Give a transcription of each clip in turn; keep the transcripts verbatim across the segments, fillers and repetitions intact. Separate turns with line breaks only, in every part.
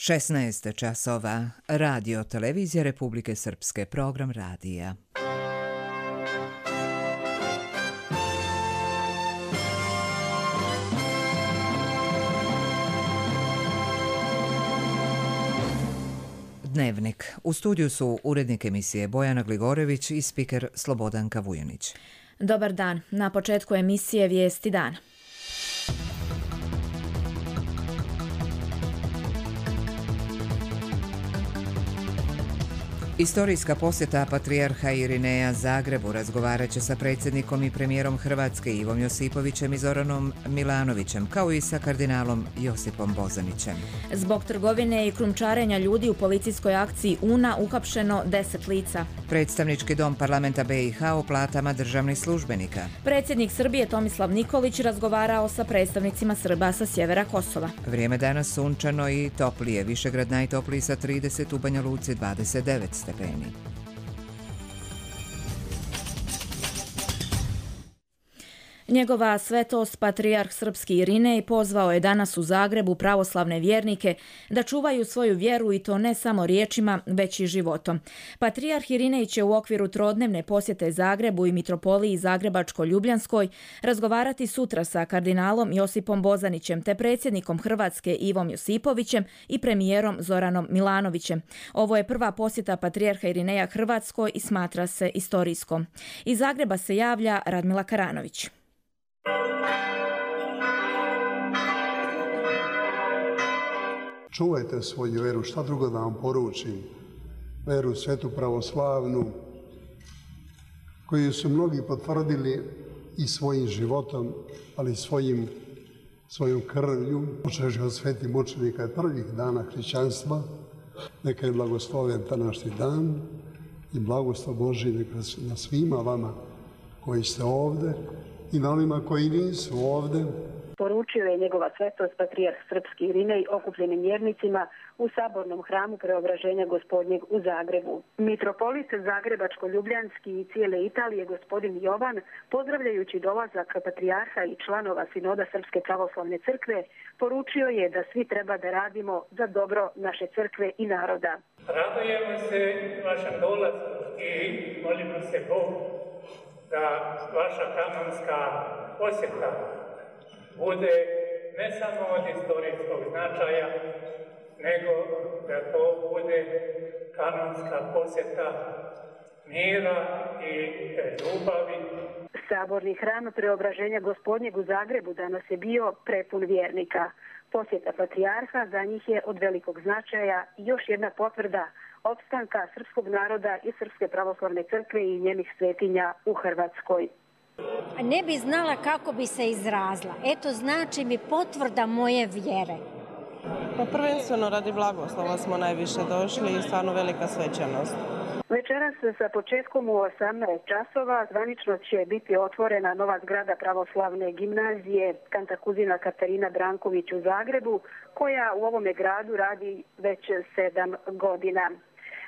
šesnaest časova. Radio Televizija Republike Srpske, program radija. Dnevnik. U studiju su urednik emisije Bojana Gligorević i spiker Slobodanka Vujanić.
Dobar dan. Na početku emisije Vijesti dana.
Istorijska posjeta patrijarha Irineja Zagrebu razgovarat će sa predsjednikom i premijerom Hrvatske Ivom Josipovićem i Zoranom Milanovićem, kao i sa kardinalom Josipom Bozanićem.
Zbog trgovine i krumčarenja ljudi u policijskoj akciji Una uhapšeno deset lica.
Predstavnički dom parlamenta B i H o platama državnih službenika.
Predsjednik Srbije Tomislav Nikolić razgovarao sa predstavnicima Srba sa sjevera Kosova.
Vrijeme danas sunčano i toplije. Višegrad najtopliji sa trideset, u Banja Luci dvadeset devet stepeni.
Njegova svetost patrijarh srpski Irinej pozvao je danas u Zagrebu pravoslavne vjernike da čuvaju svoju vjeru i to ne samo riječima, već i životom. Patrijarh Irinej će u okviru trodnevne posjete Zagrebu i mitropoliji Zagrebačko-Ljubljanskoj razgovarati sutra sa kardinalom Josipom Bozanićem te predsjednikom Hrvatske Ivom Josipovićem i premijerom Zoranom Milanovićem. Ovo je prva posjeta patrijarha Irineja Hrvatskoj i smatra se istorijskom. Iz Zagreba se javlja Radmila Karanović.
Čuvajte svoju veru, šta drugo da vam poručim? Veru svetu pravoslavnu, koju su mnogi potvrdili i svojim životom, ali svojim, svojom krvlju, počeši od svetih mučenika prvih dana hrišćanstva. Neka je blagosloven današnji dan i blagoslov Božji neka na svima vama koji ste ovdje i na onima koji nisu ovdje.
Poručio je njegova svetost patrijarh srpski Irinej okupljenim vjernicima u sabornom hramu Preobraženja Gospodnjeg u Zagrebu. Mitropolit Zagrebačko-Ljubljanski i cijele Italije gospodin Jovan, pozdravljajući dolazak patrijarha i članova sinoda Srpske pravoslavne crkve, poručio je da svi treba da radimo za dobro naše crkve i naroda.
Radujemo se vašem dolazku i molimo se Bogu da vaša kanonska posjeta bude ne samo od istorijskog značaja, nego da to bude kanonska posjeta mira i ljubavi.
Saborni hram Preobraženja Gospodnjeg u Zagrebu danas je bio prepun vjernika. Posjeta patrijarha za njih je od velikog značaja i još jedna potvrda opstanka srpskog naroda i Srpske pravoslavne crkve i njenih svetinja u Hrvatskoj.
Ne bi znala kako bi se izrazila. Eto, znači mi potvrda moje vjere.
Pa prvenstveno radi blagoslova smo najviše došli i stvarno velika svečanost.
Večeras sa početkom u osamnaest časova zvanično će biti otvorena nova zgrada pravoslavne gimnazije Kantakuzina Katarina Branković u Zagrebu, koja u ovome gradu radi već sedam godina.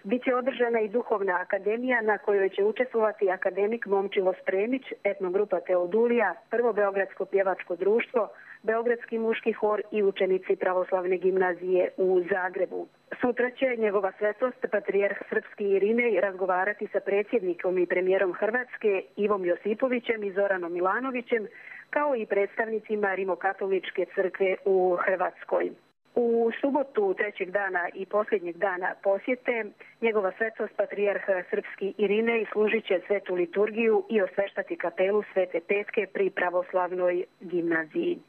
Biće održana i duhovna akademija na kojoj će učestvovati akademik Momčilo Spremić, etnogrupa Teodulija, Prvo beogradsko pjevačko društvo, Beogradski muški hor i učenici pravoslavne gimnazije u Zagrebu. Sutra će njegova svetost patrijarh srpski Irinej razgovarati sa predsjednikom i premijerom Hrvatske Ivom Josipovićem i Zoranom Milanovićem, kao i predstavnicima Rimokatoličke crkve u Hrvatskoj. U subotu trećeg dana i posljednjeg dana posjete njegova svetost patrijarh srpski Irinej služit će svetu liturgiju i osveštati kapelu Svete Petke pri pravoslavnoj gimnaziji.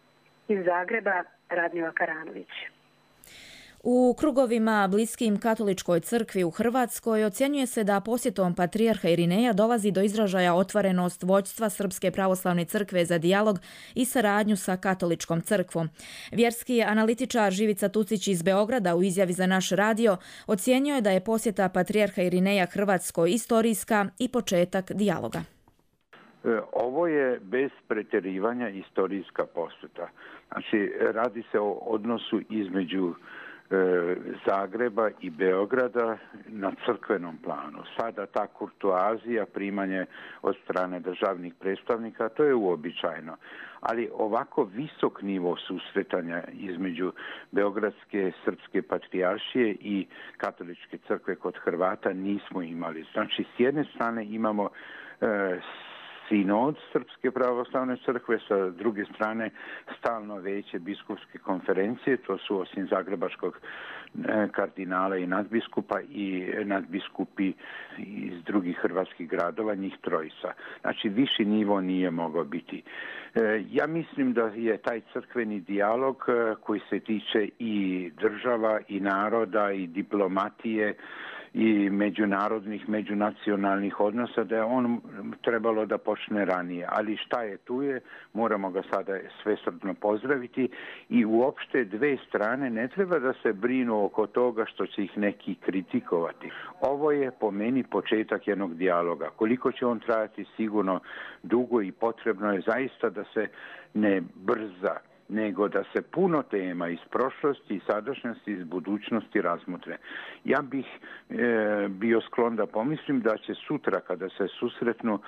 Iz Zagreba, Radmila Karanović.
U krugovima bliskim katoličkoj crkvi u Hrvatskoj ocjenjuje se da posjetom patrijarha Irineja dolazi do izražaja otvorenost vođstva Srpske pravoslavne crkve za dijalog i saradnju sa katoličkom crkvom. Vjerski analitičar Živica Tucić iz Beograda u izjavi za naš radio ocijenio je da je posjeta patrijarha Irineja Hrvatskoj istorijska i početak dijaloga.
Ovo je bez pretjerivanja istorijska posjeta. Znači, radi se o odnosu između Zagreba i Beograda na crkvenom planu. Sada ta kurtoazija, primanje od strane državnih predstavnika, to je uobičajeno. Ali ovako visok nivo susretanja između Beogradske srpske patrijaršije i katoličke crkve kod Hrvata nismo imali. Znači, s jedne strane imamo e, sinod Srpske pravoslavne crkve, sa druge strane stalno veće biskupske konferencije, to su osim zagrebačkog kardinala i nadbiskupa i nadbiskupi iz drugih hrvatskih gradova, njih trojica. Znači, viši nivo nije mogao biti. Ja mislim da je taj crkveni dijalog koji se tiče i država i naroda i diplomatije i međunarodnih, međunacionalnih odnosa, da je on trebalo da počne ranije. Ali šta je tu je, moramo ga sada svesrdno pozdraviti i uopšte dve strane ne treba da se brinu oko toga što će ih neki kritikovati. Ovo je po meni početak jednog dijaloga. Koliko će on trajati, sigurno dugo i potrebno je zaista da se ne brza, nego da se puno tema iz prošlosti, iz sadašnjosti, iz budućnosti razmotre. Ja bih e, bio sklon da pomislim da će sutra, kada se susretnu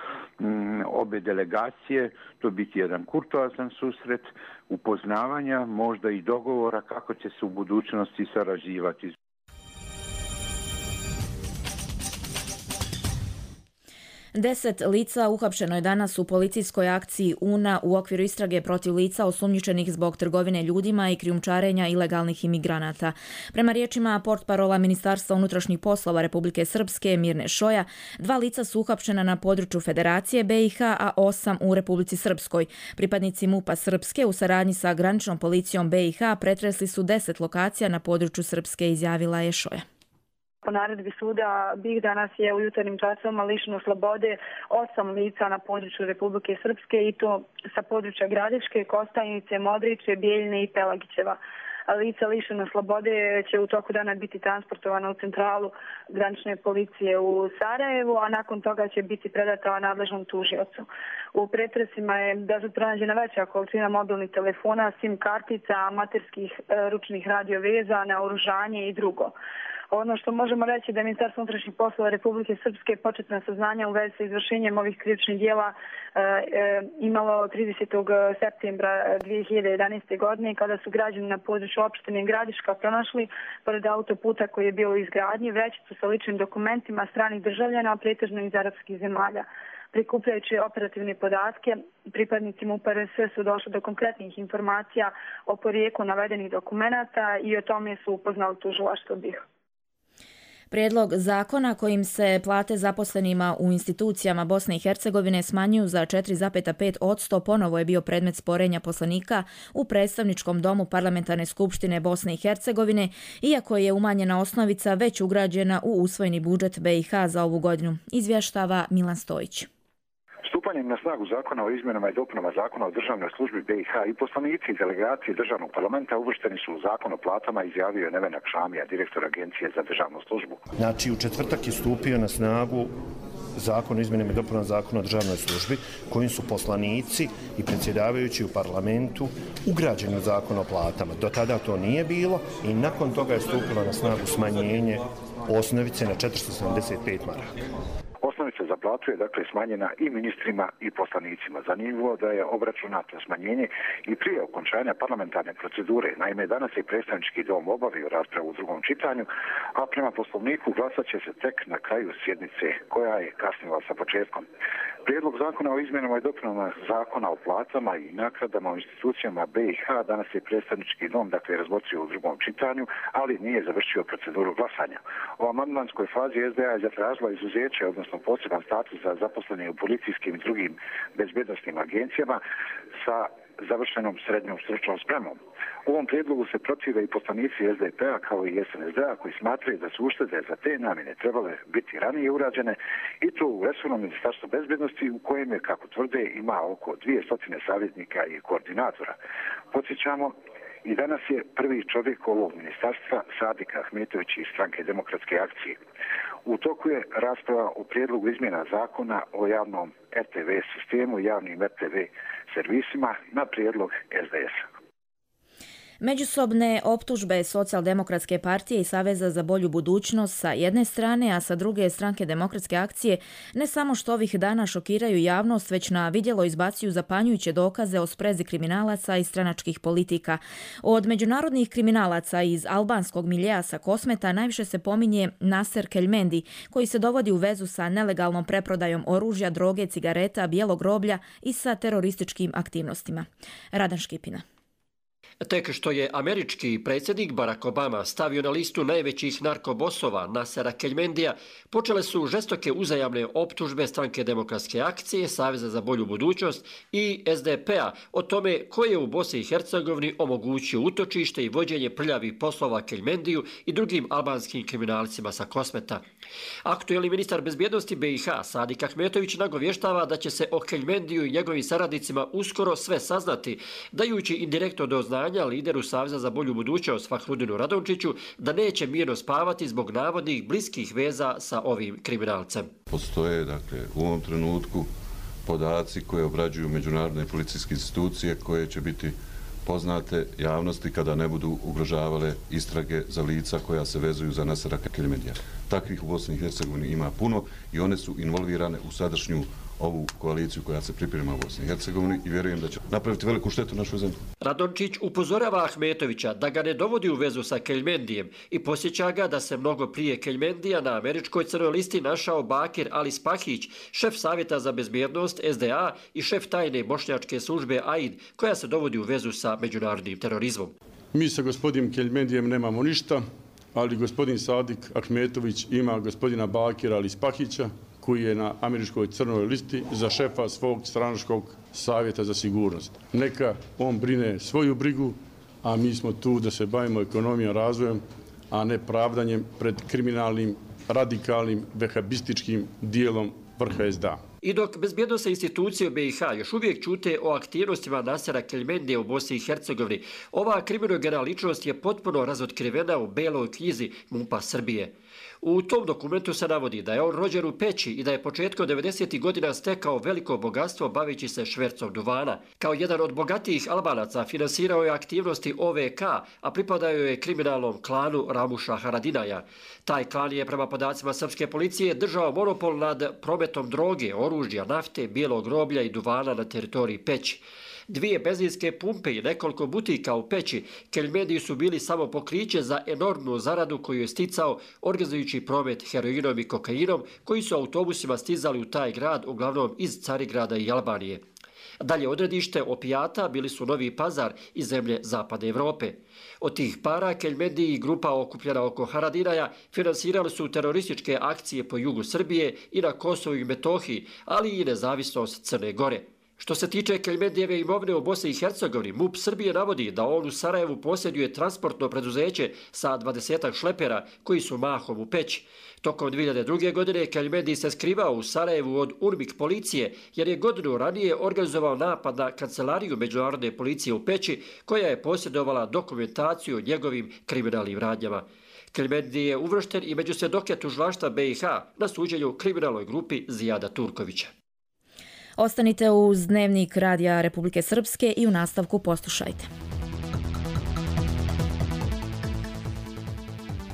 m, obe delegacije, to biti jedan kurtoazan susret, upoznavanja, možda i dogovora kako će se u budućnosti sarađivati.
Deset lica uhapšeno je danas u policijskoj akciji U N A u okviru istrage protiv lica osumnjičenih zbog trgovine ljudima i krijumčarenja ilegalnih imigranata. Prema riječima portparola Ministarstva unutrašnjih poslova Republike Srpske Mirne Šoja, dva lica su uhapšena na području Federacije B i H, a osam u Republici Srpskoj. Pripadnici MUP-a Srpske u saradnji sa graničnom policijom B i H pretresli su deset lokacija na području Srpske, izjavila je Šoja.
Po naredbi suda B i H danas je u jutarnjim časovima lišeno slobode osam lica na području Republike Srpske i to sa područja Gradiške, Kostajnice, Modriće, Bijeljine i Pelagićeva. Lica lišena slobode će u toku dana biti transportovana u centralu granične policije u Sarajevu, a nakon toga će biti predata nadležnom tužiocu. U pretresima je da su pronađena veća količina mobilnih telefona, sim kartica, amaterskih ručnih radioveza, naoružanje i drugo. Ono što možemo reći da je Ministarstvo unutrašnjih poslova Republike Srpske početna saznanja u vezi sa izvršenjem ovih krivičnih dijela e, e, imalo tridesetog septembra dvije hiljade jedanaeste. godine, kada su građani na području opštine Gradiška pronašli pored autoputa koji je bio u izgradnji vrećicu sa ličnim dokumentima stranih državljana, pretežno iz arapskih zemalja. Prikupljajući operativne podatke, pripadnici MUP-a R S su došli do konkretnih informacija o porijeklu navedenih dokumenata i o tome su upoznali tužilaštvo B i H.
Prijedlog zakona kojim se plate zaposlenima u institucijama Bosne i Hercegovine smanjuju za četiri zarez pet posto ponovo je bio predmet sporenja poslanika u predstavničkom domu Parlamentarne skupštine Bosne i Hercegovine, iako je umanjena osnovica već ugrađena u usvojeni budžet B i H za ovu godinu, izvještava Milan Stojić.
Stupanjem na snagu zakona o izmjenama i dopunama zakona o državnoj službi B i H i poslanici i delegacije državnog parlamenta uvršteni su u zakon o platama, izjavio je Nevenak Šamija, direktor Agencije za državnu službu.
Znači, u četvrtak je stupio na snagu zakon o izmjenama i dopunama zakona o državnoj službi, kojim su poslanici i predsjedavajući u parlamentu ugrađeni u zakon o platama. Do tada to nije bilo i nakon toga je stupilo na snagu smanjenje osnovice na četiristo sedamdeset pet maraka.
Osnovica za platu je dakle smanjena i ministrima i poslanicima. Zanimljivo da je obračunato smanjenje i prije okončanja parlamentarne procedure. Naime, danas je predstavnički dom obavio raspravu u drugom čitanju, a prema poslovniku glasat će se tek na kraju sjednice koja je kasnila sa početkom. Prijedlog zakona o izmjenama i dopunama zakona o platama i naknadama u institucijama B i H danas je predstavnički dom dakle razmotrio u drugom čitanju, ali nije završio proceduru glasanja. U amandmanskoj fazi S D A je zatražila izuzeće, odnosno poseban status za zaposlene u policijskim i drugim bezbednosnim agencijama sa završenom srednjom stručnom spremom. U ovom prijedlogu se protive i poslanici S D P-a kao i S N S D-a koji smatraju da su uštede za te namjene trebale biti ranije urađene i to u resornom ministarstvu bezbednosti u kojem je, kako tvrde, ima oko dvjesto savjetnika i koordinatora. Podsjećamo, i danas je prvi čovjek ovog ministarstva Sadik Ahmetović iz Stranke demokratske akcije. U toku je rasprava o prijedlogu izmjena zakona o javnom R T V sistemu i javnim R T V servisima na prijedlog S D S-a.
Međusobne optužbe Socijaldemokratske partije i Saveza za bolju budućnost sa jedne strane, a sa druge Stranke demokratske akcije, ne samo što ovih dana šokiraju javnost, već na vidjelo izbacuju zapanjujuće dokaze o sprezi kriminalaca i stranačkih politika. Od međunarodnih kriminalaca iz albanskog miljeja sa Kosmeta najviše se pominje Naser Keljmendi, koji se dovodi u vezu sa nelegalnom preprodajom oružja, droge, cigareta, bijelog roblja i sa terorističkim aktivnostima. Radan Škipina.
Tek što je američki predsjednik Barack Obama stavio na listu najvećih narkobosova Nasera Keljmendija, počele su žestoke uzajamne optužbe Stranke demokratske akcije, Saveza za bolju budućnost i S D P-a o tome ko je u Bosni i Hercegovini omogućio utočište i vođenje prljavih poslova Keljmendiju i drugim albanskim kriminalcima sa Kosmeta. Aktuelni ministar bezbjednosti B i H Sadik Ahmetović nagovještava da će se o Keljmendiju i njegovim saradnicima uskoro sve saznati, dajući indirektno do znanja lideru Saveza za bolju budućnost Fahrudinu Radončiću da neće mirno spavati zbog navodnih bliskih veza sa ovim kriminalcem.
Postoje, dakle, u ovom trenutku podaci koje obrađuju međunarodne policijske institucije koje će biti poznate javnosti kada ne budu ugrožavale istrage za lica koja se vezuju za Nasera Keljmendija. Takvih u Bosni i Hercegovini ima puno i one su involvirane u sadašnju ovu koaliciju koja se priprema u Bosni i Hercegovini i vjerujem da će napraviti veliku štetu našoj zemlji.
Radončić upozorava Ahmetovića da ga ne dovodi u vezu sa Keljmendijem i posjeća ga da se mnogo prije Keljmendija na američkoj crnoj listi našao Bakir Ali Spahić, šef Savjeta za bezbjednost S D A i šef tajne bošnjačke službe A I D, koja se dovodi u vezu sa međunarodnim terorizmom.
Mi sa gospodinom Keljmendijem nemamo ništa, ali gospodin Sadik Ahmetović ima gospodina Bakira Ali Spahića, koji je na američkoj crnoj listi za šefa svog stranačkog savjeta za sigurnost. Neka on brine svoju brigu, a mi smo tu da se bavimo ekonomijom, razvojem, a ne pravdanjem pred kriminalnim, radikalnim, vehabističkim dijelom vrha S D A.
I dok bezbjednosne institucije u B i H još uvijek ćute o aktivnostima Nasera Keljmendija u Bosni i Hercegovini, ova kriminogena ličnost je potpuno razotkrivena u beloj knjizi MUP-a Srbije. U tom dokumentu se navodi da je on rođen u Peći i da je početkom devedesetih godina stekao veliko bogatstvo bavići se švercom duvana. Kao jedan od bogatijih Albanaca finansirao je aktivnosti O V K, a pripadao je kriminalnom klanu Ramuša Haradinaja. Taj klan je prema podacima srpske policije držao monopol nad prometom droge, oružja, nafte, bijelog roblja i duvana na teritoriji Peći. Dvije benzinske pumpe i nekoliko butika u Peći Keljmendiji su bili samo pokriće za enormnu zaradu koju je sticao organizujući promet heroinom i kokainom koji su autobusima stizali u taj grad, uglavnom iz Carigrada i Albanije. Dalje odredište opijata bili su Novi Pazar i zemlje Zapadne Evrope. Od tih para Keljmendiji i grupa okupljena oko Haradinaja finansirali su terorističke akcije po jugu Srbije i na Kosovu i Metohiji, ali i nezavisnost Crne Gore. Što se tiče Keljmendijeve imovine u Bosni i Hercegovini, MUP Srbije navodi da on u Sarajevu posjeduje transportno preduzeće sa dvadesetak šlepera koji su mahom u Peći. Tokom dvije hiljade druge. godine Keljmendij se skrivao u Sarajevu od UNMIK policije jer je godinu ranije organizovao napad na kancelariju međunarodne policije u Peći koja je posjedovala dokumentaciju o njegovim kriminalnim radnjama. Keljmendij je uvršten i među svjedoke tužilaštva B i H na suđenju kriminalnoj grupi Zijada Turkovića.
Ostanite uz Dnevnik Radija Republike Srpske i u nastavku poslušajte.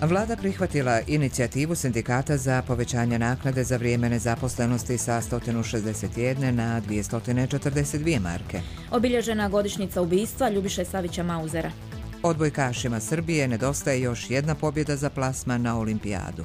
Vlada prihvatila inicijativu sindikata za povećanje naknade za vrijeme nezaposlenosti sa sto šezdeset jedan na dvjesto četrdeset dvije marke.
Obilježena godišnjica ubistva Ljubiše Savića Mauzera.
Odbojkašima Srbije nedostaje još jedna pobjeda za plasman na olimpijadu.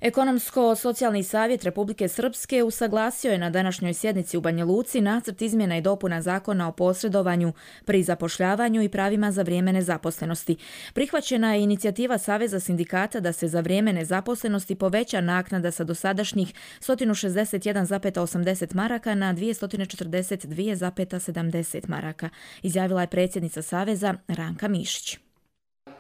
Ekonomsko-socijalni savjet Republike Srpske usaglasio je na današnjoj sjednici u Banja Luci nacrt izmjena i dopuna zakona o posredovanju pri zapošljavanju i pravima za vrijeme nezaposlenosti. Prihvaćena je inicijativa Saveza sindikata da se za vrijeme nezaposlenosti poveća naknada sa dosadašnjih sto šezdeset jedan zarez osamdeset maraka na dvjesto četrdeset dva zarez sedamdeset maraka, izjavila je predsjednica Saveza Ranka Mišić.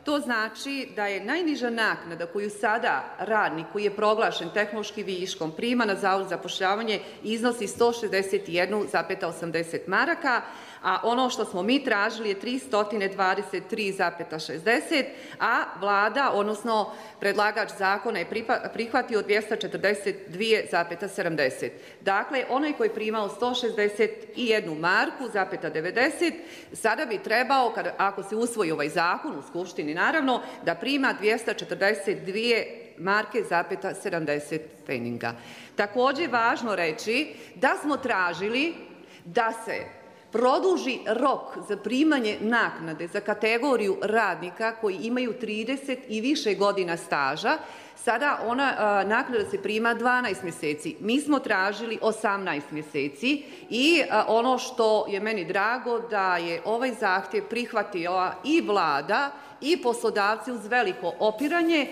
To znači da je najniža naknada koju sada radnik koji je proglašen tehnološki viškom prima na Zavod za zapošljavanje iznosi sto šezdeset jedan zarez osamdeset maraka, a ono što smo mi tražili je tristo dvadeset tri zarez šezdeset, a vlada, odnosno predlagač zakona je prihvatio dvjesto četrdeset dvije zarez sedamdeset. Dakle, onaj koji je primao sto šezdeset jednu marku, zapeta devedeset, sada bi trebao, kada, ako se usvoji ovaj zakon u Skupštini naravno, da prima dvjesto četrdeset dvije marke zapeta sedamdeset pfeninga. Također je važno reći da smo tražili da se produži rok za primanje naknade za kategoriju radnika koji imaju trideset i više godina staža. Sada ona a, naknada se prima dvanaest mjeseci. Mi smo tražili osamnaest mjeseci i a, ono što je meni drago da je ovaj zahtjev prihvatila i vlada i poslodavci uz veliko opiranje.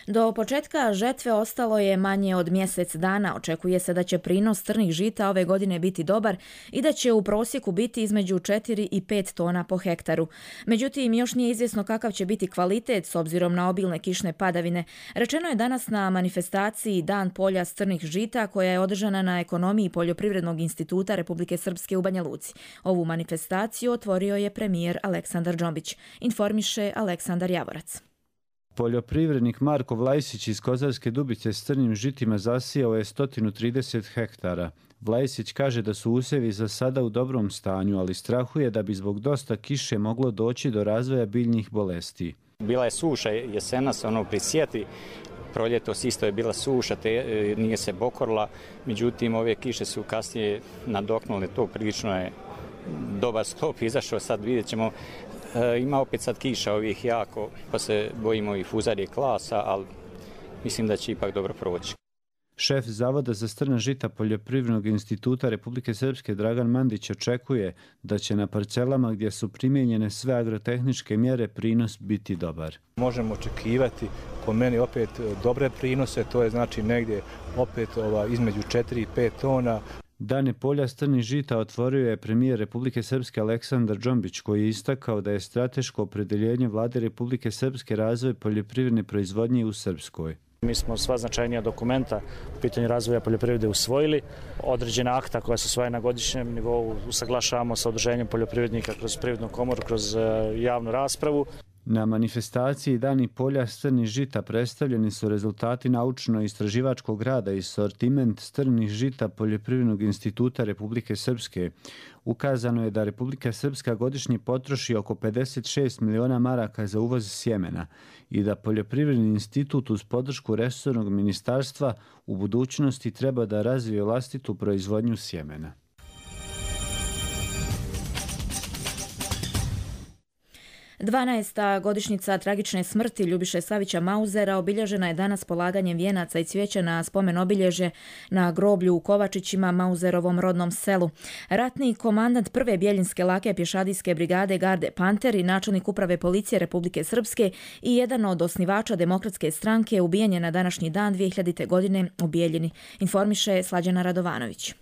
Do početka žetve ostalo je manje od mjesec dana. Očekuje se da će prinos crnih žita ove godine biti dobar i da će u prosjeku biti između četiri i pet tona po hektaru. Međutim, još nije izvjesno kakav će biti kvalitet s obzirom na obilne kišne padavine. Rečeno je danas na manifestaciji Dan polja s crnih žita koja je održana na Ekonomiji Poljoprivrednog instituta Republike Srpske u Banja Luci. Ovu manifestaciju otvorio je premijer Aleksandar Džombić. Informiše Aleksandar Javorac.
Poljoprivrednik Marko Vlajsić iz Kozarske Dubice s crnim žitima zasijao je sto trideset hektara. Vlajsić kaže da su usjevi za sada u dobrom stanju, ali strahuje da bi zbog dosta kiše moglo doći do razvoja biljnih bolesti.
Bila je suša jesenas, ono pri sjeti, proljetos isto je bila suša, te nije se bokorila, međutim ove kiše su kasnije nadoknule to, prilično je dobar stop izašao, sad vidjet ćemo. E, ima opet sad kiša ovih jako, pa se bojimo i fuzarije klasa, ali mislim da će ipak dobro proći.
Šef Zavoda za strna žita Poljoprivrednog instituta Republike Srpske Dragan Mandić očekuje da će na parcelama gdje su primijenjene sve agrotehničke mjere prinos biti dobar.
Možemo očekivati po meni opet dobre prinose, to je znači negdje opet ova, između četiri i pet tona.
Dane polja strnih žita otvorio je premijer Republike Srpske Aleksandar Džombić koji je istakao da je strateško opredeljenje vlade Republike Srpske razvoj poljoprivredne proizvodnje u Srpskoj.
Mi smo sva značajnija dokumenta u pitanju razvoja poljoprivrede usvojili. Određena akta koja se usvaja na godišnjem nivou usaglašavamo sa udruženjem poljoprivrednika kroz Privrednu komoru, kroz javnu raspravu.
Na manifestaciji Dani polja strnih žita predstavljeni su rezultati naučno-istraživačkog rada i sortiment strnih žita Poljoprivrednog instituta Republike Srpske. Ukazano je da Republika Srpska godišnje potroši oko pedeset šest miliona maraka za uvoz sjemena i da Poljoprivredni institut uz podršku resornog ministarstva u budućnosti treba da razvije vlastitu proizvodnju sjemena.
dvanaesta godišnjica tragične smrti Ljubiše Savića Mauzera obilježena je danas polaganjem vijenaca i cvijeća na spomen obilježje na groblju u Kovačićima, Mauzerovom rodnom selu. Ratni komandant prve Bjeljinske lake pješadijske brigade Garde Panter i načelnik uprave policije Republike Srpske i jedan od osnivača Demokratske stranke ubijen je na današnji dan dvije hiljadite. godine u Bijeljini, informiše Slađana Radovanović.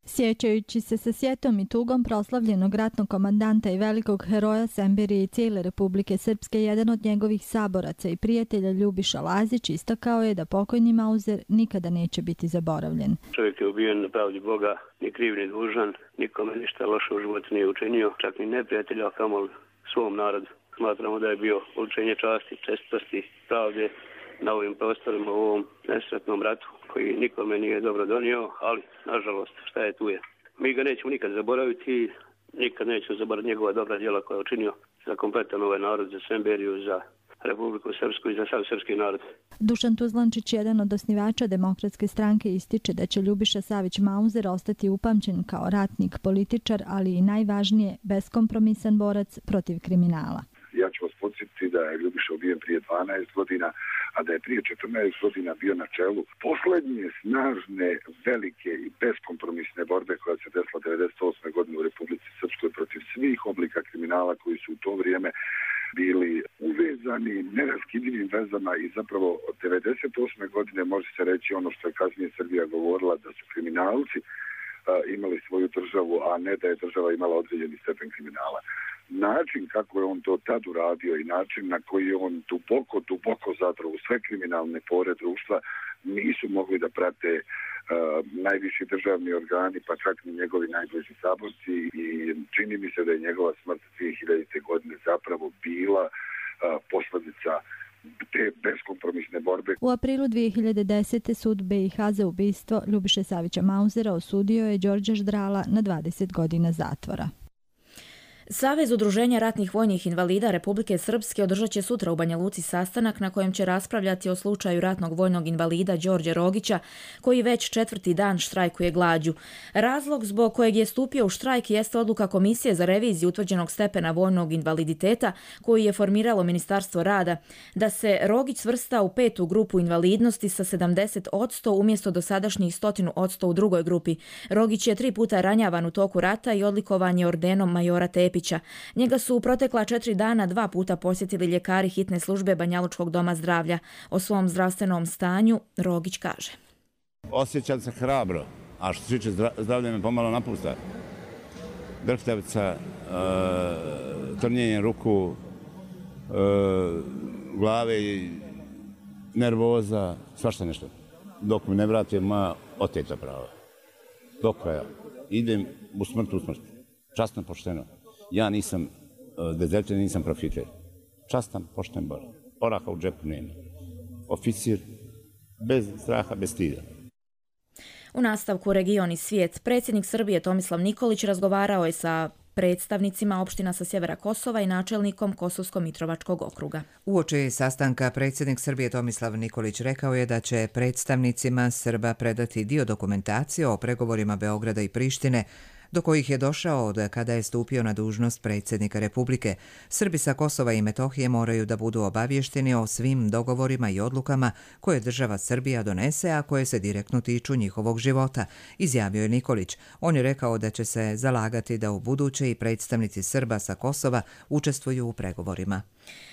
Sjećajući se sa sjetom i tugom proslavljenog ratnog komandanta i velikog heroja Semberije i cijele Republike Srpske, jedan od njegovih saboraca i prijatelja Ljubiša Lazić istakao je da pokojni Mauzer nikada neće biti zaboravljen.
Čovjek je ubijen na pravdi Boga, ni kriv ni dužan, nikome ništa loše u životu nije učinio, čak ni neprijatelja, a kamoli svom narodu. Smatramo da je bio oličenje časti, čestitosti, pravde na ovim prostorima u ovom nesretnom ratu koji nikome nije dobro donio, ali nažalost šta je tu je. Mi ga nećemo nikad zaboraviti i nikad nećemo zaboraviti njegova dobra djela koja je učinio za kompletan ovaj narod, za Semberiju, za Republiku Srpsku i za sav srpski narod.
Dušan Tuzlančić, jedan od osnivača Demokratske stranke, ističe da će Ljubiša Savić Mauzer ostati upamćen kao ratnik, političar, ali i najvažnije beskompromisan borac protiv kriminala.
Ja ću vas podsjetiti da je Ljubiša ubijen prije dvanaest godina, a da je prije četrnaest godina bio na čelu posljednje snažne, velike i beskompromisne borbe koja se desila devedeset osme godine u Republici Srpskoj protiv svih oblika kriminala koji su u to vrijeme bili uvezani neraskidivim vezama i zapravo od devedeset osme godine može se reći ono što je kasnije Srbija govorila da su kriminalci a, imali svoju državu, a ne da je država imala određeni stepen kriminala. Način kako je on to tad uradio i način na koji je on duboko, duboko zapravo sve kriminalne pore društva nisu mogli da prate najviši državni organi, pa čak i njegovi najbliži saborci i čini mi se da je njegova smrt dvije hiljadite. godine zapravo bila posljedica te beskompromisne borbe.
U aprilu dvije hiljade desete. sud B i H za ubistvo Ljubiše Savića Mauzera osudio je Đorđa Ždrala na dvadeset godina zatvora.
Savez udruženja ratnih vojnih invalida Republike Srpske održat će sutra u Banja Luci sastanak na kojem će raspravljati o slučaju ratnog vojnog invalida Đorđe Rogića, koji već četvrti dan štrajkuje glađu. Razlog zbog kojeg je stupio u štrajk jeste odluka Komisije za reviziju utvrđenog stepena vojnog invaliditeta koju je formiralo Ministarstvo rada, da se Rogić svrsta u petu grupu invalidnosti sa sedamdeset posto umjesto dosadašnjih sto posto u drugoj grupi. Rogić je tri puta ranjavan u toku rata i odlikovan je ordenom majora Tepića. Njega su u protekla četiri dana dva puta posjetili ljekari hitne službe Banjalučkog doma zdravlja. O svom zdravstvenom stanju Rogić kaže:
Osjećam se hrabro, a što se tiče zdravlja me pomalo napušta. Drhtavica, e, trnjenje ruku, e, glave i nervoza, svašta nešto. Dok mi ne vrati moja oteta prava. Do kraja. Idem u smrt u smrt. Časno, pošteno. Ja nisam dezerter, nisam profiter. Častan, pošten bor. Oraha u džepu nema. Oficir bez straha, bez stida.
U nastavku Region i svijet, predsjednik Srbije Tomislav Nikolić razgovarao je sa predstavnicima opština sa sjevera Kosova i načelnikom Kosovsko-Mitrovačkog okruga.
Uoči sastanka predsjednik Srbije Tomislav Nikolić rekao je da će predstavnicima Srba predati dio dokumentacije o pregovorima Beograda i Prištine do kojih je došao od kada je stupio na dužnost predsjednika Republike. Srbi sa Kosova i Metohije moraju da budu obavješteni o svim dogovorima i odlukama koje država Srbija donese, a koje se direktno tiču njihovog života, izjavio je Nikolić. On je rekao da će se zalagati da u buduće i predstavnici Srba sa Kosova učestvuju u pregovorima.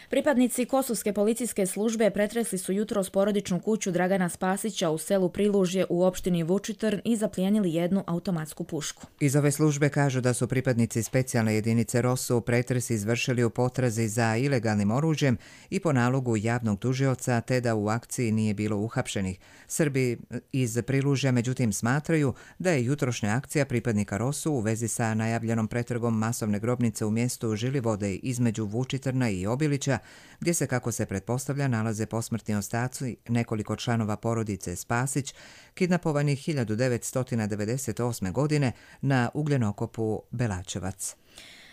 Pripadnici Kosovske policijske službe pretresli su jutros porodičnu kuću Dragana Spasića u selu Prilužje u opštini Vučitrn i zaplijenili jednu automatsku pušku.
Iz ove službe kažu da su pripadnici specijalne jedinice ROSU pretres izvršili u potrazi za ilegalnim oružjem i po nalogu javnog tužioca, te da u akciji nije bilo uhapšenih. Srbi iz Prilužja međutim smatraju da je jutrošnja akcija pripadnika ROSU u vezi sa najavljenom pretragom masovne grobnice u mjestu Žilivode između Vučitrna i Obilića, gdje se, kako se pretpostavlja, nalaze posmrtni ostaci nekoliko članova porodice Spasić, kidnapovanih hiljadu devetsto devedeset osme. godine na ugljenokopu Belačevac.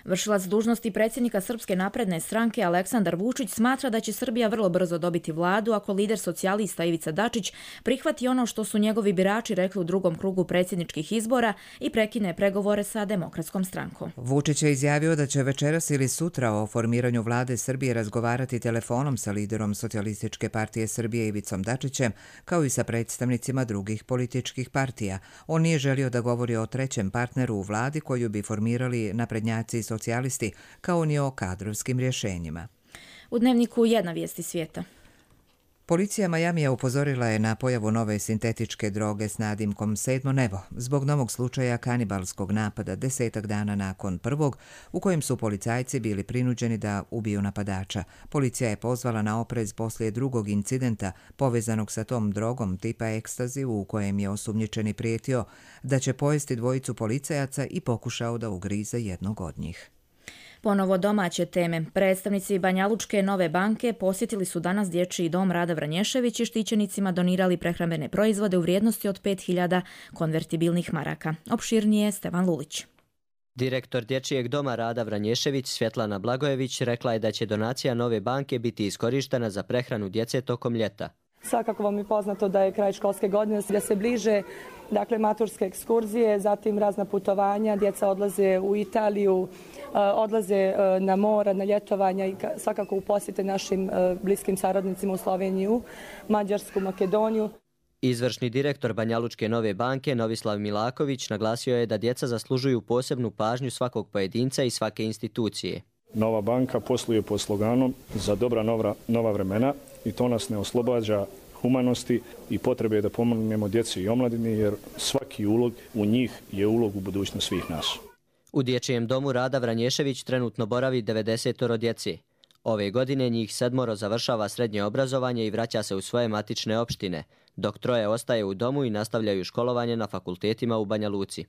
Vršilac dužnosti predsjednika Srpske napredne stranke Aleksandar Vučić smatra da će Srbija vrlo brzo dobiti vladu ako lider socijalista Ivica Dačić prihvati ono što su njegovi birači rekli u drugom krugu predsjedničkih izbora i prekine pregovore sa Demokratskom strankom.
Vučić je izjavio da će večeras ili sutra o formiranju vlade Srbije razgovarati telefonom sa liderom Socijalističke partije Srbije Ivicom Dačićem, kao i sa predstavnicima drugih političkih partija. On nije želio da govori o trećem partneru u vladi koju bi formirali naprednjaci i socijalisti, kao ni o kadrovskim rješenjima.
U Dnevniku jedna vijesti svijeta.
Policija Majamija upozorila je na pojavu nove sintetičke droge s nadimkom Sedmo nebo zbog novog slučaja kanibalskog napada desetak dana nakon prvog, u kojem su policajci bili prinuđeni da ubiju napadača. Policija je pozvala na oprez poslije drugog incidenta povezanog sa tom drogom tipa ekstazi, u kojem je osumnjičeni prijetio da će pojesti dvojicu policajaca i pokušao da ugrize jednog od njih.
Ponovo domaće teme. Predstavnici Banjalučke Nove banke posjetili su danas dječji dom Rada Vranješević i štićenicima donirali prehrambene proizvode u vrijednosti od pet hiljada konvertibilnih maraka. Opširnije Stevan Lulić.
Direktor Dječjeg doma Rada Vranješević Svjetlana Blagojević rekla je da će donacija Nove banke biti iskorištena za prehranu djece tokom ljeta.
Svakako vam je poznato da je kraj školske godine, da se bliže dakle, maturske ekskurzije, zatim razna putovanja, djeca odlaze u Italiju, odlaze na mora, na ljetovanja i svakako u posjete našim bliskim saradnicima u Sloveniju, Mađarsku, Makedoniju.
Izvršni direktor Banjalučke Nove banke Novislav Milaković naglasio je da djeca zaslužuju posebnu pažnju svakog pojedinca i svake institucije.
Nova banka posluje pod sloganom za dobra nova, nova vremena i to nas ne oslobađa humanosti i potrebe da pomognemo djeci i omladini, jer svaki ulog u njih je ulog u budućnost svih nas.
U Dječjem domu Rada Vranješević trenutno boravi devedeset djece. Ove godine njih sedmoro završava srednje obrazovanje i vraća se u svoje matične opštine, dok troje ostaje u domu i nastavljaju školovanje na fakultetima u Banja Luci.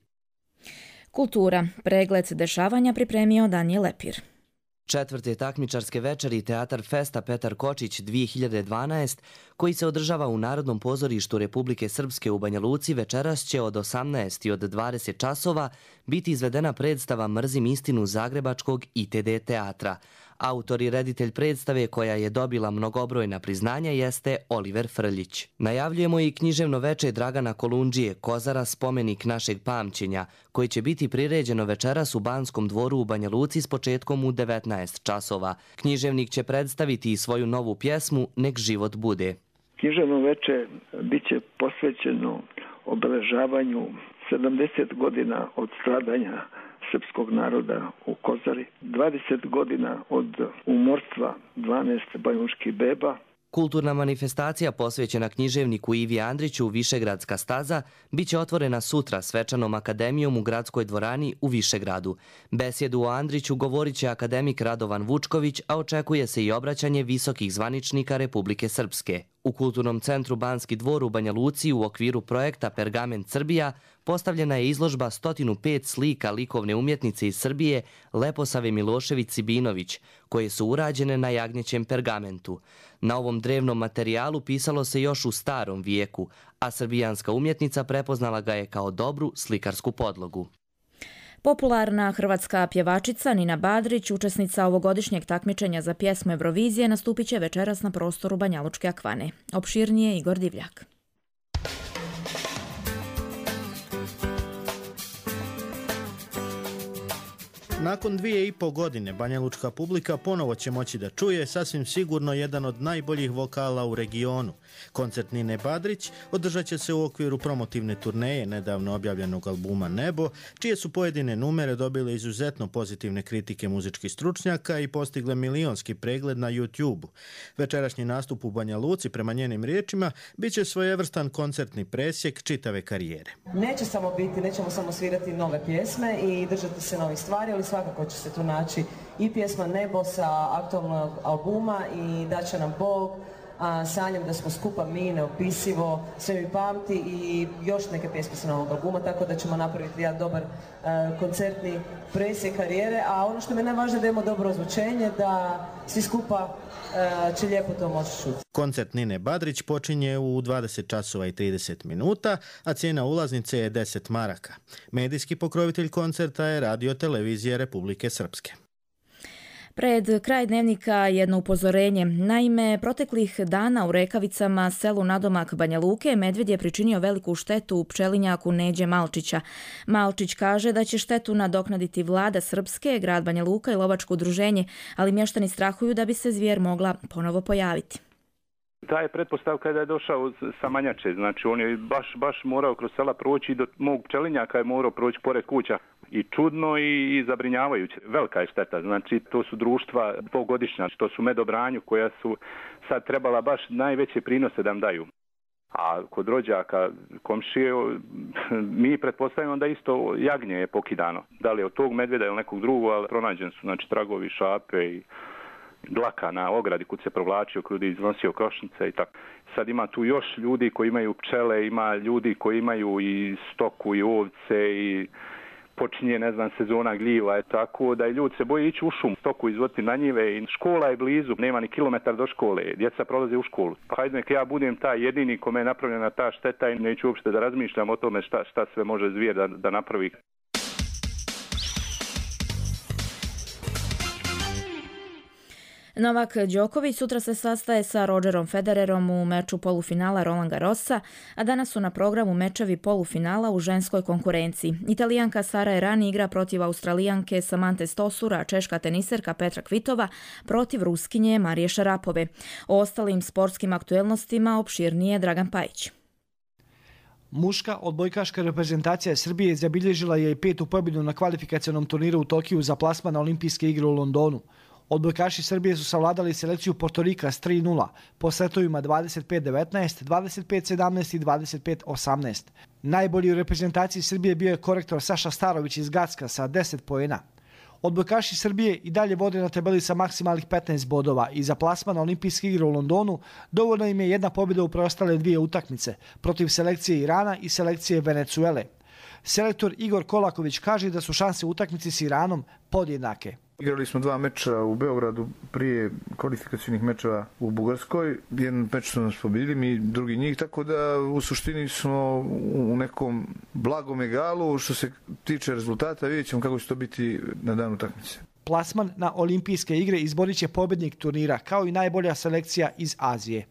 Kultura. Pregled dešavanja pripremio Danijel Lepir.
Četvrte takmičarske večeri Teatar Festa Petar Kočić dvije hiljade dvanaest, koji se održava u Narodnom pozorištu Republike Srpske u Banja Luci, večeras će od osamnaest i od dvadeset časova biti izvedena predstava Mrzim istinu zagrebačkog I T D teatra. Autor i reditelj predstave, koja je dobila mnogobrojna priznanja, jeste Oliver Frljić. Najavljujemo i književno veče Dragana Kolundžije, Kozara, spomenik našeg pamćenja, koji će biti priređeno večeras u Banskom dvoru u Banja Luci s početkom u devetnaest časova. Književnik će predstaviti i svoju novu pjesmu Nek život bude.
Književno veče biće posvećeno obeležavanju sedamdeset godina od stradanja srpskog naroda u Kozari, dvadeset godina od umorstva dvanaest banjuških beba.
Kulturna manifestacija posvećena književniku Ivi Andriću Višegradska staza biće otvorena sutra svečanom akademijom u gradskoj dvorani u Višegradu. Besjedu o Andriću govorit će akademik Radovan Vučković, a očekuje se i obraćanje visokih zvaničnika Republike Srpske. U Kulturnom centru Banski dvor u Banja Luci u okviru projekta Pergament Srbija postavljena je izložba sto pet slika likovne umjetnice iz Srbije Leposave Milošević-Sibinović, koje su urađene na jagnjećem pergamentu. Na ovom drevnom materijalu pisalo se još u starom vijeku, a srbijanska umjetnica prepoznala ga je kao dobru slikarsku podlogu.
Popularna hrvatska pjevačica Nina Badrić, učesnica ovogodišnjeg takmičenja za pjesmu Eurovizije, nastupit će večeras na prostoru Banjalučke akvane. Opširnije Igor Divljak.
Nakon dvije i po godine banjalučka publika ponovo će moći da čuje sasvim sigurno jedan od najboljih vokala u regionu. Koncert Nine Badrić održat će se u okviru promotivne turneje nedavno objavljenog albuma Nebo, čije su pojedine numere dobile izuzetno pozitivne kritike muzičkih stručnjaka i postigle milionski pregled na YouTube-u. Večerašnji nastup u Banja Luci, prema njenim riječima, bit će svojevrstan koncertni presjek čitave karijere.
Neće samo biti, nećemo samo svirati nove pjesme i držati se novih stvari, ali svakako će se tu naći i pjesma Nebo sa aktualnog albuma i da će nam Bog, a, sanjam da smo skupa mi, neopisivo, sve mi pamti i još neke pjesme sa novog albuma, tako da ćemo napraviti jedan dobar a, koncertni presjek karijere, a ono što mi je najvažnije da imamo dobro ozvučenje, da svi skupa a, će lijepo to moći čuti.
Koncert Nine Badrić počinje u dvadeset časova i trideset minuta, a cijena ulaznice je deset maraka. Medijski pokrovitelj koncerta je Radio Televizija Republike Srpske.
Pred kraj dnevnika jedno upozorenje. Naime, proteklih dana u Rekavicama, selu nadomak Banja Luke, medvjed je pričinio veliku štetu u pčelinjaku Neđe Malčića. Malčić kaže da će štetu nadoknaditi vlada Srpske, grad Banja Luka i lovačko udruženje, ali mještani strahuju da bi se zvijer mogla ponovo pojaviti.
Ta je pretpostavka da je došao sa Manjače, znači on je baš, baš morao kroz sela proći i do mog pčelinjaka je morao proći pored kuća. I čudno i, i zabrinjavajuće. Velika je šteta, znači to su društva dvogodišnja, to su medobranju koja su sad trebala baš najveće prinose da nam daju. A kod rođaka, komšije, mi pretpostavljamo da isto jagnje je pokidano. Da li je od tog medvjeda ili nekog drugog, ali pronađen su znači, tragovi, šape i dlaka na ogradi kud se provlačio, kud je iznosio košnice i tako. Sad ima tu još ljudi koji imaju pčele, ima ljudi koji imaju i stoku i ovce i počinje, ne znam, sezona gljiva, je tako da i ljudi se boje ići u šum, stoku izvoditi na njive i škola je blizu, nema ni kilometar do škole, djeca prolaze u školu. Pa hajde nek ja budem taj jedini kome je napravljena ta šteta i neću uopšte da razmišljam o tome šta, šta sve može zvijer da, da napravi.
Novak Đoković sutra se sastaje sa Rogerom Federerom u meču polufinala Roland Garrosa, a danas su na programu mečevi polufinala u ženskoj konkurenciji. Italijanka Sara Errani igra protiv Australijanke Samante Stosura, a češka teniserka Petra Kvitova protiv Ruskinje Marije Šarapove. O ostalim sportskim aktuelnostima opširnije Dragan Pajić.
Muška odbojkaška reprezentacija Srbije zabilježila je i petu pobjedu na kvalifikacionom turniru u Tokiju za plasman na olimpijske igre u Londonu. Odbojkaši Srbije su savladali selekciju Portorika s tri nula po setovima dvadeset pet devetnaest, dvadeset pet sedamnaest i dvadeset pet osamnaest. Najbolji u reprezentaciji Srbije bio je korektor Saša Starović iz Gacka sa deset poena. Odbojkaši Srbije i dalje vode na tabeli sa maksimalnih petnaest bodova i za plasman na olimpijske igre u Londonu dovoljno im je jedna pobjeda u preostale dvije utakmice protiv selekcije Irana i selekcije Venecuele. Selektor Igor Kolaković kaže da su šanse u utakmici s Iranom podjednake.
Igrali smo dva meča u Beogradu prije kvalifikacijnih mečeva u Bugarskoj. Jedan meč su nas pobjedili, mi drugi njih, tako da u suštini smo u nekom blagom egalu. Što se tiče rezultata, vidjet ćemo kako će to biti na dan utakmice.
Plasman na olimpijske igre izborit će pobjednik turnira, kao i najbolja selekcija iz Azije.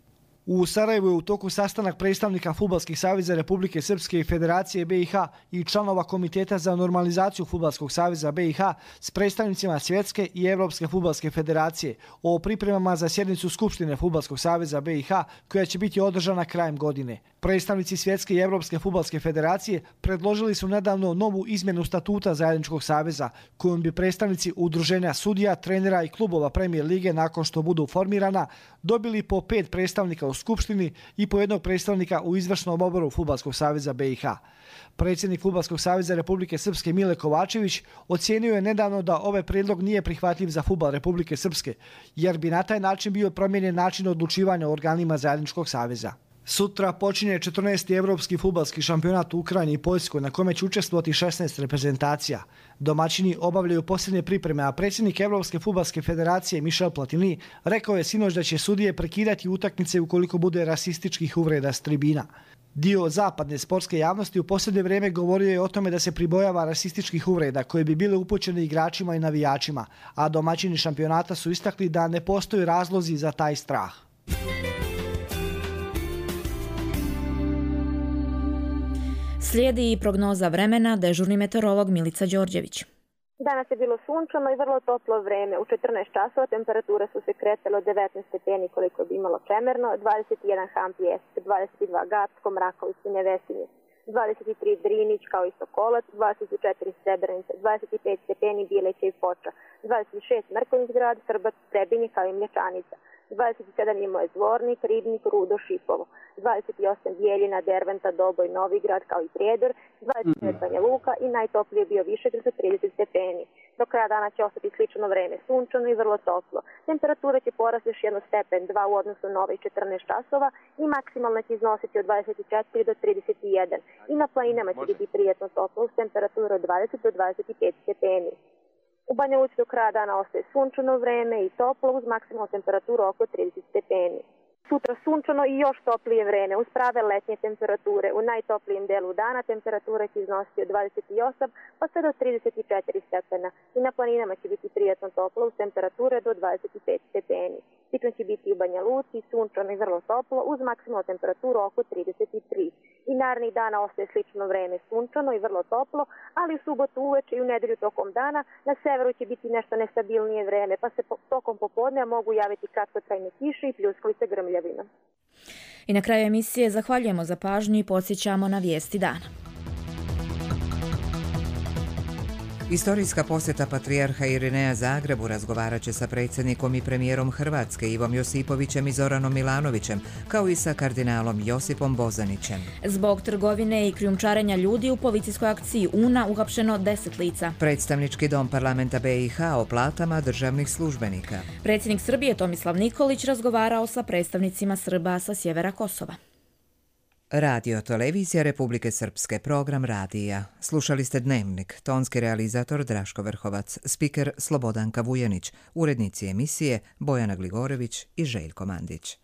U Sarajevu je u toku sastanak predstavnika Fudbalskih saveza Republike Srpske i Federacije B i H i članova Komiteta za normalizaciju Fudbalskog saveza B i H s predstavnicima Svjetske i Evropske fudbalske federacije o pripremama za sjednicu Skupštine Fudbalskog saveza B i H koja će biti održana krajem godine. Predstavnici Svjetske i Evropske fudbalske federacije predložili su nedavno novu izmjenu statuta zajedničkog saveza kojom bi predstavnici udruženja sudija, trenera i klubova Premier lige nakon što budu formirana dobili po pet predstavnika u Skupštini i po jednog predstavnika u izvršnom odboru Fudbalskog saveza B i H. Predsjednik Fudbalskog saveza Republike Srpske Mile Kovačević ocijenio je nedavno da ovaj prijedlog nije prihvatljiv za fudbal Republike Srpske, jer bi na taj način bio promijenjen način odlučivanja o organima zajedničkog saveza. Sutra počinje četrnaesti evropski fudbalski šampionat u Ukrajini i Poljskoj na kome će učestvovati šesnaest reprezentacija. Domaćini obavljaju posljednje pripreme, a predsjednik Evropske fudbalske federacije Michel Platini rekao je sinoć da će sudije prekidati utakmice ukoliko bude rasističkih uvreda s tribina. Dio zapadne sportske javnosti u posljednje vrijeme govorio je o tome da se pribojava rasističkih uvreda koje bi bile upućene igračima i navijačima, a domaćini šampionata su istakli da ne postoji razlozi za taj strah.
Slijedi i prognoza vremena, dežurni meteorolog Milica Đorđević.
Danas je bilo sunčano i vrlo toplo vreme. U četrnaest časova temperature su se kretale od devetnaest stepeni koliko bi imalo Čemerno, dvadeset jedan Han Pijesk, dvadeset dva Gacko, Mraković i Nevesinje, dvadeset tri Drinić kao i Sokolac, dvadeset četiri Srebrenica, dvadeset pet stepeni Bileća i Foča, dvadeset šest Mrkonjić grad, Srbac, Trebinje kao i Mlječanica, dvadeset sedam Imao Zvornik, Ribnik, Rudo, Šipovo, dvadeset osam Bijeljina, Derventa, Doboj, Novigrad kao i Prijedor, dvadeset devet Banja Luka i najtoplije bio Višegrad sa trideset stepeni. Do kraja dana će ostati slično vreme, sunčano i vrlo toplo. Temperatura će porasti još jedno stepen, dva u odnosu na ovih četrnaest časova i maksimalno će iznositi od dvadeset četiri do trideset jedan. I na planinama će biti prijetno toplo uz temperaturu od dvadeset do dvadeset pet stepeni. U Banja Luci do kraja dana ostaje sunčano vreme i toplo uz maksimalnu temperaturu oko trideset stepeni. Sutra sunčano i još toplije vreme uz prave letnje temperature. U najtoplijem delu dana temperatura će iznositi od dvadeset osam pa sve do trideset četiri stepena i na planinama će biti prijetno toplo uz temperature do dvadeset pet stepeni. Ciklon će biti u Banja Luci, sunčano i vrlo toplo uz maksimalnu temperaturu oko trideset tri. I narednih dana ostaje slično vreme, sunčano i vrlo toplo, ali u subotu uveče i u nedelju tokom dana na severu će biti nešto nestabilnije vreme, pa se tokom popodneva mogu javiti kratkotrajne kiše i pljuskalice grmljavina.
I na kraju emisije zahvaljujemo za pažnju i podsjećamo na vijesti dana.
Istorijska posjeta patrijarha Irineja Zagrebu razgovarat će sa predsjednikom i premijerom Hrvatske Ivom Josipovićem i Zoranom Milanovićem, kao i sa kardinalom Josipom Bozanićem.
Zbog trgovine i krijumčarenja ljudi u policijskoj akciji Una uhapšeno deset lica.
Predstavnički dom parlamenta B i H o platama državnih službenika.
Predsjednik Srbije Tomislav Nikolić razgovarao sa predstavnicima Srba sa sjevera Kosova.
Radio Televizija Republike Srpske, program radija. Slušali ste Dnevnik, tonski realizator Draško Vrhovac, spiker Slobodanka Vujanić, urednici emisije Bojana Gligorević i Željko Mandić.